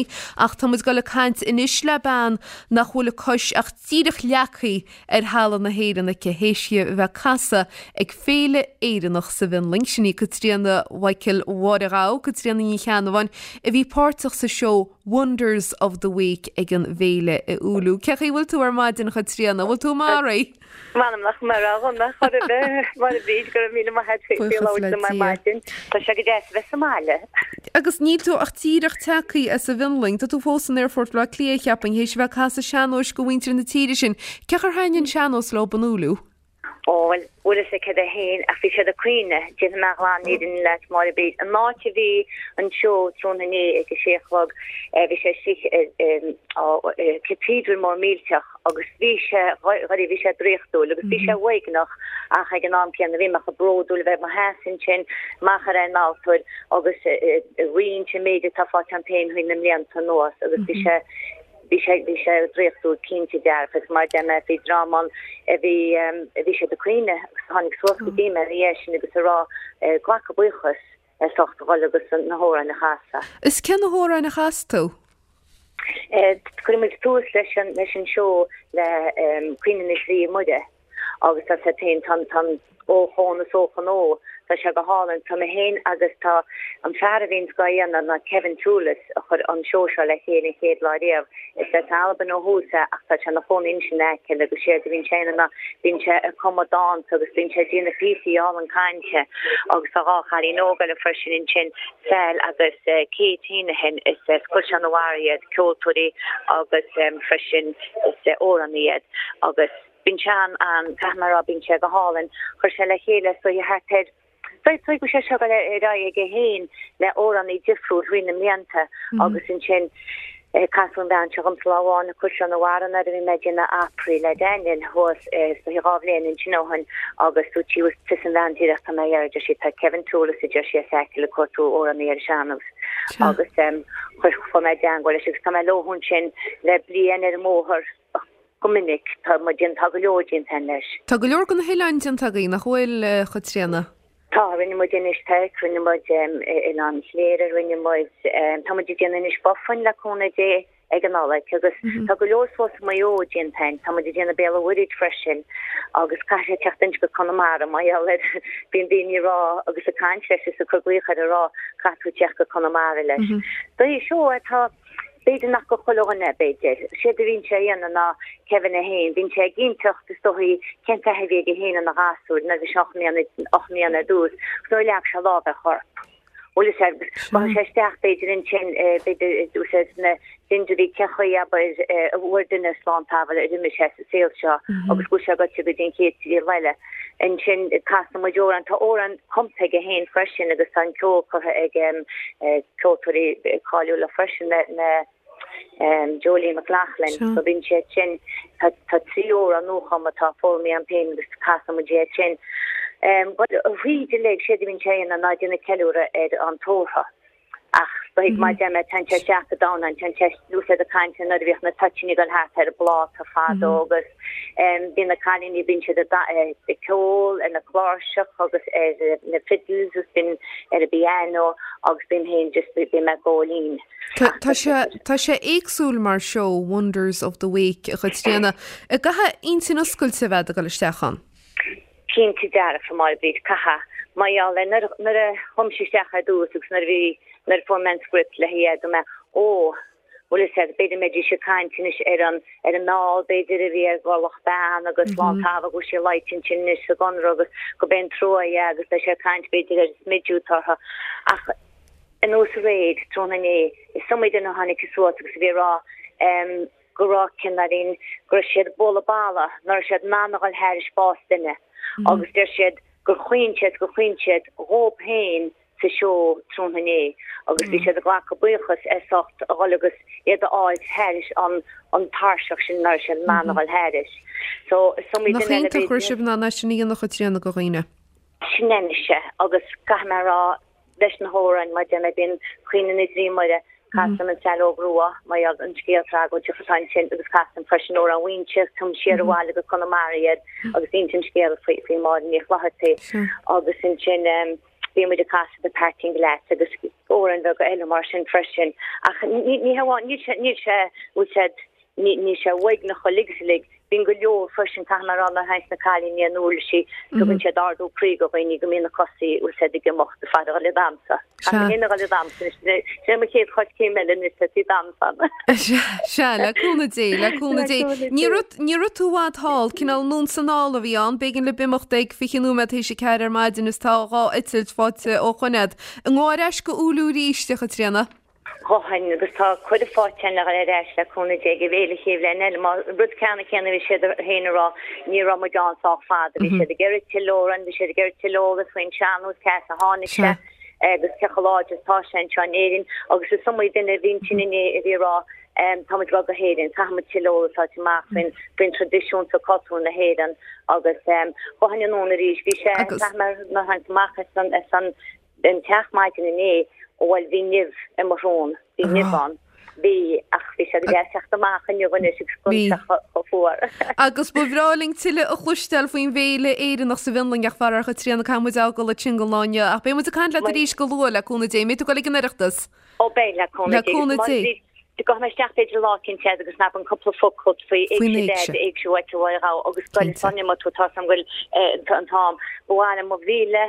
Ach tá muid ag dul ag caint anois le bean nach bhfuil a cois ach díreach leagtha ar thalamh na hÉireann aici théis di a bheith ag casadh ag Féile Éireannach sa bhFionlainn. Sin í Caitríona Mhichael Mháire Ghabha, Caitríona Ní Cheannabháin, a bhí páirteach sa seó Wonders of the Wake ag an bhféile i Oulu. Cén chaoi a bhfuil tú ar maidin, a Chaitríona? Bhfuil tú maith? M'anam nach maith a dhona chor ar bith, Máire Bríd, go raibh míle maith agat faoi Buíochas labhairt le liom ar Dia. maidin. Tá sé go deas a bheith sa mbaile. Agus níl tú ach díreach tagtha as an bhFionlainn, tá tú fós in Aerfort Bhaile Átha Cliath, cheapfainn, théis a bheith ag casadh sean-nóis go mhuintir na tíre sin. Cén chaoi ar thaitin an sean-nós leo in Oulu? Ó, bhuel, bhfuil fhios agat céard é féin, ach bhí siad ag caoineadh, déanfaidh mé an ghlanfhírinne leat, Máire Bríd. An áit a bhí an seó tráthnóna inné ag a sé a chlog, bhí sé istigh i cathedral mór millteach, agus bhí sé, dháiríre, bhí sé draíochtúil agus bhí sé uaigneach ach ag an am céanna bhí mé chomh bródúil a bheith i mo sheasamh ansin amach ar an altóir agus ag roinnt an méid atá faighte agam féin thrí na mblianta anuas agus bhí sé, bhí sé, bhí sé draíochtúil cinnte dearfa agus mar a deir mé bhí dream ann a bhí, a bhí siad ag caoineadh agus tháinig suas go dtí mé ina dhiaidh sin agus ag rá, glacadh buíochas as ucht a dhul agus na hamhráin a chasadh. Is cé na hamhráin a chas tú? Chuir muid tús leis an leis an seó le Caoineadh na Drí Muire agus tá sé féin tá tá ó chón is ó chonó tá sé go hálainn. Tá mé féin agus tá an fear a bhíonns á dhéanamh ná Kevin Toolis a chuir an seó seo le chéile an chéad lá riamh. Is as Albain ó thús é ach tá sé ina chónaí anois in Acaill agus séard a bhíonn sé a dhéanamh ná bíonn sé ag cumadh dánta agus bíonn sé ag déanamh píosaí álainn cainte agus tá 2 chailín óg eile freisin ansin, Sal agus Kate Heneghan, is as Caisleán an Bharraigh iad, ceoltóirí agus freisin is amhránaí iad agus bíonn sé an, an, caithfidh mé a rá, bíonn sé go hálainn. Chuir sé le chéile is dóiche thart ar Is dóigh go bhfuil sé seo ag dul ar aghaidh aige féin le amhránaí difriúil thrí na mblianta agus ansin casadh an bhean seo dhomsa lá amháin i Caisleán an Bharraigh nuair a bhí mé ag déanamh Opry le Daniel thuas is dóiche 2 bhliain ansin ó shin agus dúirt sí bhuel tusa an bhean díreach tá mé a iarraidh, deir sí, tá Kevin Toolis a deir sí as Acaill ag cuartú amhránaí ar an sean-nós agus chuir chuaigh mé i dteangmháil leis agus tá mé leo ansin le bliain ar an mbóthar. Go minic, tá muid déanta, tá go leor déanta againn leis. Tá go leor de na hoileáin déanta agaibh, nach bhfuil, a Chaitríona? Tá, rinne muid Inis Toirc, rinne muid Oileán Chléire, rinne muid, tá muid ag déanamh Inis Bofin le cúnamh Dé ag an Nollaig agus tá go leor suas i Maigh Eo déanta againn, tá muid ag déanamh Béal an Mhuirthead freisin agus caithfidh sé teacht anois go Conamara mar gheall ar, bíonn daoine ag rá agus ag caint leis is ag cur glaoch air ag rá caithfidh tú teacht go Conamara leis. Dóigh seó atá. B'fhéidir nach go chuile dhuine, b'fhéidir. Séard a bhíonn sé a dhéanamh ná Kevin é féin, bíonn sé ag inseacht is dóichí cén taithí a bhí aige féin ina ghasúr nuair a bhí sé 8 mbliana, 8 mbliana ar dtús, agus nuair a leag sé lámh ar chorp. Bhfuil fhios agat, agus gabhann sé isteach b'fhéidir ansin, b'fhéidir úsáid na dindiúirí cén chaoi abair a bhfuair duine slán sábháil ar imigh sé sa saol seo agus go bhfuil sé gaibhte go dtí an chéad saol eile. Ansin casann muid amhrán, tá amhrán cumtha aige féin freisin agus tá an ceol curtha ag ceoltóirí cáiliúla freisin, na Jolene McLaughlin. So bíonn siad sin, tá 3 amhrán nuachumtha atá foghlamtha agam féin agus casann muid iad sin. Bhuel, thríd uilig, séard a bhíonn sé a dhéanamh ná déanamh ceiliúradh ar an tórramh. Ach dóigh mar deir mé, téann sé isteach go domhain, téann sé úsáid ag caint nuair a bhíodh na toitíní ag dul thart ar an bpláta fadó agus Bíonn na cailíní, bíonn siad ag ceol ar na cláirseach agus ar na fiddles agus bíonn ar an bpiano agus bím féin just bím ag gabháil fhoinn. Tá sé tá sé éagsúil mar seó Wonders of the Wake a Chaitríona. An gcaithfidh intinn oscailte a bheith ag dul isteach ann? Cinnte dearfa, a Mháire Bríd, caithfidh. Mar gheall ar nuair nuair a chum sé isteach ar dtús agus nuair a bhí nuair a fuair mé an script le haghaidh dúirt mé, ó, Bhuel is ea, b'fhéidir mbeidís ag caint anois ar an ar an meall b'fhéidir a bhí ar bhrollach bean agus slán sábháil go bhfuil sí leáite ansin anois sa gconradh agus go b'é an trua é agus beidh sé ag caint b'fhéidir ar an smidiú atá orthu. Ach anuas aréir, tráthnóna inné, is iomaí duine a tháinig suas agus a bhí ag rá go raibh cineáilín, go raibh siad ag bualadh balla, nach raibh siad in ann a dhul thairis bás duine agus deir siad gur chaoin siad, gur chaoin siad dhóib féin sa seó tráthnóna inné agus bhí siad ag glacadh buíochas as ucht a dhul agus iad a fháil thairis an an tairseach sin nach raibh siad in ann a dhul thairis. So is iomaí Nach duine eile iontach go raibh sibh in ann é sin a dhéanamh a Chaitríona do dhaoine. Sin é anois é agus caithfidh mé a rá leis na hamhráin mar deir mé bíonn Caoineadh na dTrí Muire, casaim an Saileog Rua, mar gheall an scéal tragóideach atá ansin agus casaim freisin Amhrán Mhaínse, tugaim siar abhaile go Conamara iad agus insim scéal faoi faoi Máire Ní Chlochartaigh agus ansin. Bhí muid ag casadh The Parting Glass agus amhráin bheaga eile mar sin freisin ach ní ní hamháin níl sé níl sé bhfuil sé ní níl sé uaigneach uilig is uilig. Bíonn go leor freisin caithfidh mé a rá nuair a théanns na cailíní ar na uirlisí tugann siad ardú croí do dhaoine go mbíonn na cosaí bhfuil siad ag imeacht ag faire dhul ag damhsa. Caithfidh mé féin a dhul ag damhsa anois sin é mo chéad choiscéim eile anois tá sí damhsa. Sea, le cúnamh Dé, le cúnamh Dé. Ní raibh ní raibh tú i bhfad thall, cineál anonn 's anall a bhí ann, b'éigean libh imeacht ag 20 nóiméad théis a ceathair ar maidin is tá dhá eitilt faighte ó shoin a'd. An ngabhfá ar ais go Oulu arís, a Chaitríona? Ghabhfainn, agus tá cuireadh faighte againn le dhul ar ais le cúnamh Dé ag an bhféile chéad bhliain eile. Mar rud ceanna céanna a bhí siad féin a rá, ní raibh muid ann sách fada, bhí siad ag iarraidh tuilleadh orainn, bhí siad ag iarraidh tuilleadh eolas faoin sean-nós, cé as a tháinig sé agus cé chomh láidir is atá sé anseo in Éirinn. Agus is iomaí duine a bhí ansin inné a bhí ag rá, tá muid ag dul go hÉirinn, caithfidh muid tuilleadh eolas a fháilt amach faoin faoin traidisiún seo cultúr na hÉireann agus ghabhfainn anonn arís. Bhí sé, caithfidh mé nuair a tháinig amach as an as an Den teach maidin inné, bhuel bhí nimh i mo shrón, bhí nimh ann, bhí, ach bhí sé go deas teacht amach inniu anois agus gan sé chomh fuar. Agus ba bhreá linn tuilleadh a chloisteáil faoin bhféile Éireannach sa bhFionlainn ach faraor a Chaitríona caithfidh muid a fhágáil ansin don lá inniu ach beidh muid ag caint leat arís go luath le cúnamh Dé. Mbeidh tú ag dul ag an Oireachtas? Ó beidh, le cúnamh Le cúnamh Dé. Gabhfaidh mé isteach b'fhéidir lá eicínt agus n-abair cúpla focal faoi Éigse Dhaid, Éigse Mhichael Mháire Ghabha agus scoil Sonia má tá a fhios agam go bhfuil an t-am. Ba mhaith liom mo mhíle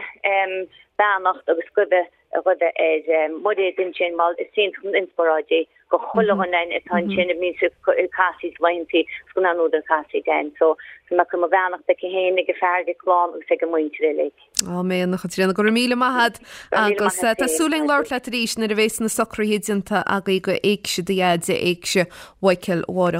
beannacht agus guibhe a ghuibhe ar Mhairéad ansin mar is iontach an inspioráid í go chuile dhuine atá ansin a bhíonns ag casaoid laethantaí is go n-athnuadh an chasaoid ann. So tá mé ag cur mo bheannacht aici féin, ag a fear, ag a clann agus ag a muintir uilig. Áiméan, a Chaitríona, go raibh míle maith agat agus tá súil againn labhairt leat arís nuair a bhéas na socruithe déanta agaibh go Éigse do Dhaid, Éigse Mhichael Mháire.